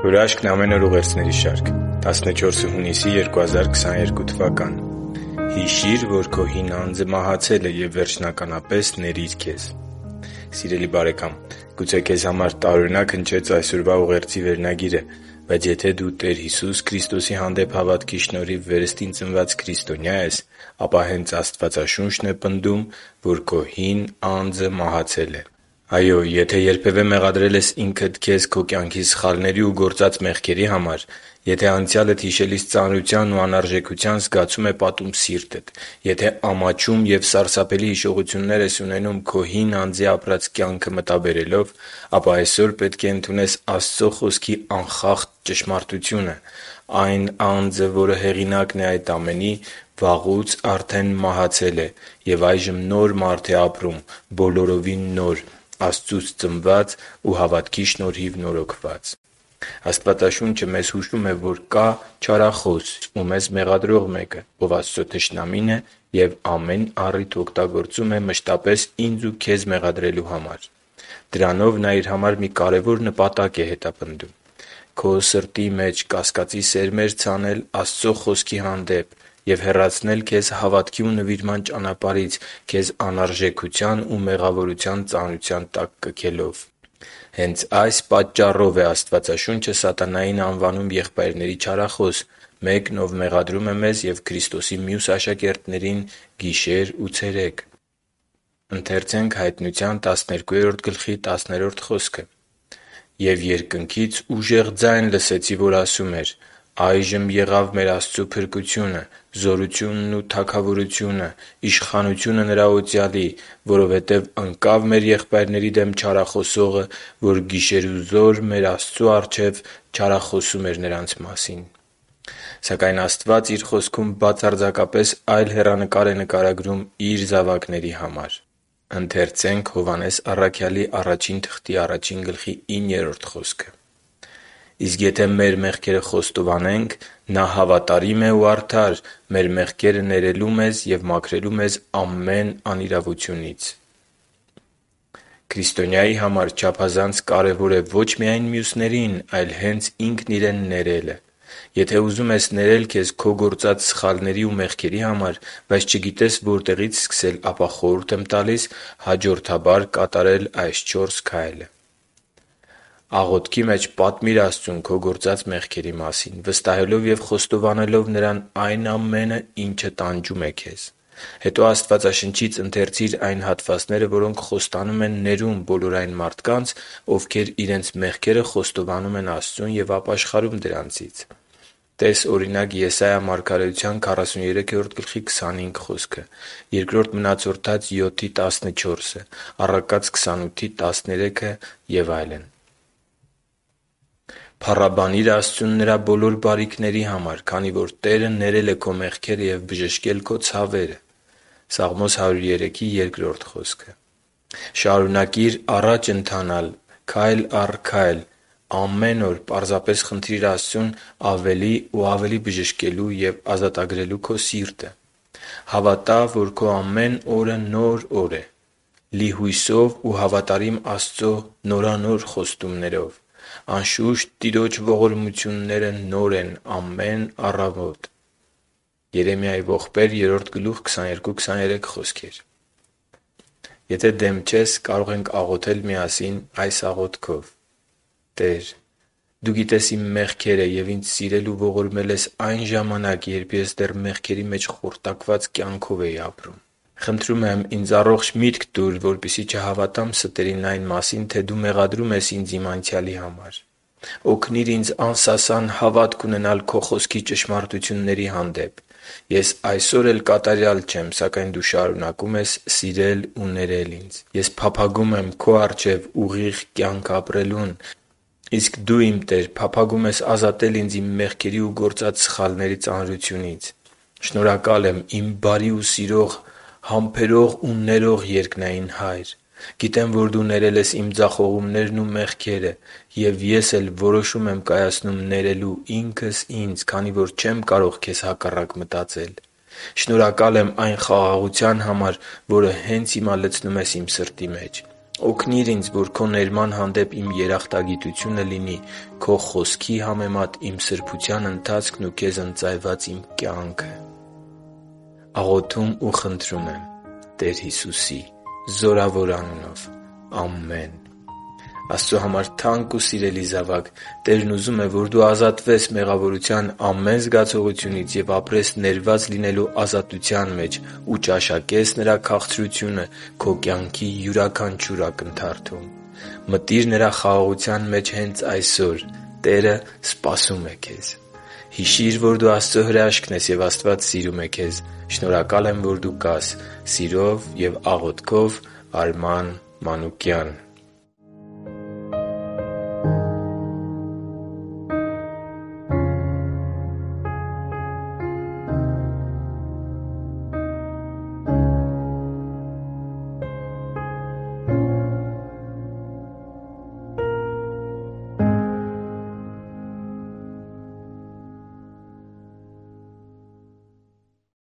Հրաշքն ամեն օր ուղերձների շարք 14 հունիսի 2022 թվական Հիշի՛ր, որ քո հին անձը մահացել է և վերջնականապես ների՛ր քեզ։ Սիրելի՛ բարեկամ, գուցե քեզ համար տարօրինակ հնչեց այսօրվա ուղերձի վերնագիրը, բայց եթե դու Տեր Հիսուս Քրիստոսի հանդեպ հավատքի շնորհիվ վերստին ծնված քրիստոնյա ես, ապա հենց Աստվածաշունչն է պնդում, որ քո հին անձը մահացել է։ Այո, եթե երբևէ մեղադրել ես ինքդ քեզ քո կյանքի սխալների ու գործած մեղքերի համար, եթե անցյալդ հիշելիս ծանրության ու անարժեքության զգացում է պատում սիրտդ, եթե ամաչում և սարսափելի հիշողություններ ես ունենում քո հին անձի ապրած կյանքը մտաբերելով, ապա այսօր պետք է ընդունես Աստծո Խոսքի անխախտ ճշմարտությունը։ Այն անձը, որը հեղինակն է այդ ամենի, վաղուց արդեն մահացել է և այժմ նոր մարդ է ապրում, բոլորովին նոր, Աստծուց ծնված ու հավատքի շնորհիվ նորոգված։ Աստվածաշունչը մեզ հուշում է, որ կա չարախոս ու մեզ մեղադրող մեկը, ով Աստծո թշնամին է և ամեն առիթ օգտագործում է մշտապես ինձ ու քեզ մեղադրելու համար։ Դրանով նա իր համար մի կարևոր նպատակ է հետապնդում՝ քո սրտի մեջ կասկածի սերմեր ցանել Աստծո Խոսքի հանդեպ և հեռացնել քեզ հավատքի ու նվիրման ճանապարհից՝ քեզ անարժեքության ու մեղավորության ծանրության տակ կքելով։ Հենց այս պատճառով է Աստվածաշունչը սատանային անվանում եղբայրների չարախոս, մեկն, ով մեղադրում է մեզ և Քրիստոսի մյուս աշակերտներին գիշեր ու ցերեկ։ «Եվ երկնքից ուժեղ ձայն լսեցի, որ ասում էր. «Այժմ եղավ մեր Աստծու փրկությունը, զորությունն ու թագավորությունը, իշխանությունը Նրա օծյալի, որովհետև ընկավ մեր եղբայրների դեմ չարախոսողը, որ գիշերուզօր մեր Աստծու առջև չարախոսում էր նրանց մասին»։ Սակայն Աստված Իր Խոսքում բացարձակապես այլ հեռանկար է նկարագրում Իր զավակների համար. «Իսկ եթե մեր մեղքերը խոստովանենք, Նա հավատարիմ է ու արդար՝ մեր մեղքերը ներելու մեզ և մաքրելու մեզ ամեն անիրավությունից» (Հովհաննես 1.1)։ Քրիստոնյայի համար չափազանց կարևոր է ոչ միայն մյուսներին, այլ հենց ինքն իրեն ներելը։ Եթե ուզում ես ներել քեզ քո գործած սխալների ու մեղքերի համար, բայց չգիտես որտեղից սկսել, ապա խորհուրդ եմ տալիս հաջորդաբար կատարել այս 4 քայլը։ Աղոթքի մեջ պատմի՛ր Աստծուն քո գործած մեղքերի մասին՝ վստահելով և խոստովանելով Նրան այն ամենը, ինչը տանջում է քեզ։ Հետո Աստվածաշնչից ընթերցի՛ր այն հատվածները, որոնք խոստանում են ներում բոլոր այն մարդկանց, ովքեր իրենց մեղքերը խոստովանում են Աստծուն և ապաշխարում դրանցից։ Տե՛ս, օրինակ, Եսայիա մարգարեության 43:25 խոսքը, Բ Մնացորդաց 7:14, Առակաց 28:13 և այլն։ Փառաբանի՛ր Աստծուն Նրա բոլոր բարիքների համար, քանի որ Տերը ներել է քո մեղքերը և բժշկել քո ցավերը։ Սաղմոս 103:2 խոսքը։ Շարունակի՛ր առաջ ընթանալ քայլ առ քայլ։ Ամեն օր պարզապես խնդրի՛ր Աստծուն ավելի ու ավելի բժշկելու և ազատագրելու քո սիրտը։ Հավատա՛, որ քո ամեն օրը նոր օր է՝ լի հույսով ու հավատարիմ Աստծո նորանոր խոստումներով։ Անշուշտ, Տիրոջ ողորմությունները նոր են ամեն առավոտ։ Երեմիայի ողբեր 3:22-23 խոսքեր։ Եթե դեմ չես, կարող ենք աղոթել միասին այս աղոթքով. «Տե՛ր, Դու գիտես իմ մեղքերը և ինձ սիրել ու ողորմել ես այն ժամանակ, երբ ես դեռ մեղքերի մեջ խորտակված կյանքով էի ապրում։ Խնդրում եմ, ինձ առողջ միտք տուր, որպեսզի չհավատամ ստերին այն մասին, թե Դու մեղադրում ես ինձ իմ անցյալի համար։ Օգնի՛ր ինձ անսասան հավատք ունենալ Քո Խոսքի ճշմարտությունների հանդեպ։ Ես այսօր էլ կատարյալ չեմ, սակայն Դու շարունակում ես սիրել ու ներել ինձ։ Ես փափագում եմ Քո առջև ուղիղ կյանք ապրելուն, իսկ Դու, իմ Տեր, փափագում ես ազատել ինձ իմ մեղքերի ու գործած սխալների ծանրությունից։ Շնորհակալ եմ, իմ բարի ու սիրող, համբերող ու ներող երկնային Հա՛յր։ Գիտեմ, որ Դու ներել ես իմ ձախողումներն ու մեղքերը, և ես էլ որոշում եմ կայացնում ներելու ինքս ինձ, քանի որ չեմ կարող Քեզ հակառակ մտածել։ Շնորհակալ եմ այն խաղաղության համար, որը հենց հիմա լցնում ես իմ սրտի մեջ։ Օգնի՛ր ինձ, որ Քո ներման հանդեպ իմ երախտագիտությունը լինի Քո Խոսքի համեմատ իմ սրբության ընթացքն ու Քեզ ընծայված իմ կյանքը։ Աղոթում ու խնդրում եմ Տեր Հիսուսի զորավոր անունով։ Ամեն։ Աստծո համար թանկ ու սիրելի՛ զավակ, Տերն ուզում է, որ դու ազատվես մեղավորության ամեն զգացողությունից և ապրես ներված լինելու ազատության մեջ ու ճաշակես Նրա քաղցրությունը քո կյանքի յուրաքանչյուր ակնթարթում։ Մտի՛ր Նրա խաղաղության մեջ հենց այսօր։ Տերը սպասում է քեզ։ Հիշի՛ր, որ դու Աստծո հրաշքն ես, և Աստված սիրում է քեզ։ Շնորհակալ եմ, որ դու կար։ Սիրով և աղոթքով, Արման Մանուկյան։